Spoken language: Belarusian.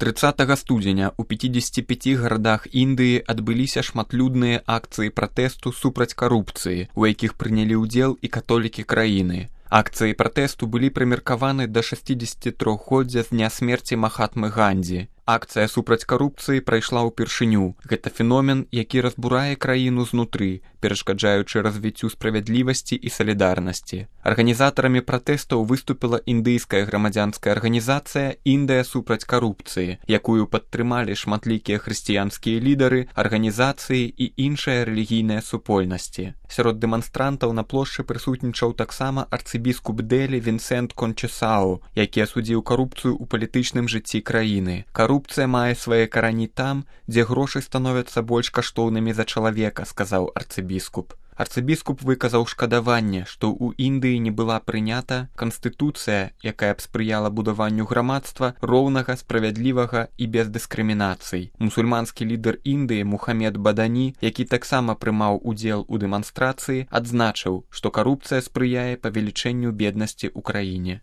30 студзеня ў 55 гарадах Індыі адбыліся шматлюдныя акцыі пратэсту супраць карупцыі, у якіх прынялі ўдзел і католікі краіны. Акцыі пратэсту былі прымеркаваны да 63-годдзя з дня смерці Махатмы Гандзі. Акцыя супраць карупцыі прайшла ўпершыню. Гэта феномен, які разбурае краіну знутры, перашкаджаючы развіццю справядлівасці і салідарнасці. Арганізатарамі пратэстаў выступіла індыйская грамадзянская арганізацыя «Індыя супраць карупцыі», якую падтрымалі шматлікія хрысціянскія лідары, арганізацыі і іншыя рэлігійныя супольнасці. Сярод дэманстрантаў на плошчы прысутнічаў таксама арцыбіскуп Дэлі Вінсент Кончесао, які асудзіў карупцыю ў палітычным жыцці краіны. Карупцыя мае свае карані там, дзе грошы становяцца больш каштоўнымі за чалавека, сказаў арцыбіскуп. Арцыбіскуп выказаў шкадаванне, што ў Індыі не была прынята канстытуцыя, якая б спрыяла будаванню грамадства роўнага, справядлівага і без дыскрымінацый. Мусульманскі лідар Індыі Мухамед Бадані, які таксама прымаў удзел у дэманстрацыі, адзначыў, што карупцыя спрыяе павелічэнню беднасці ў краіне.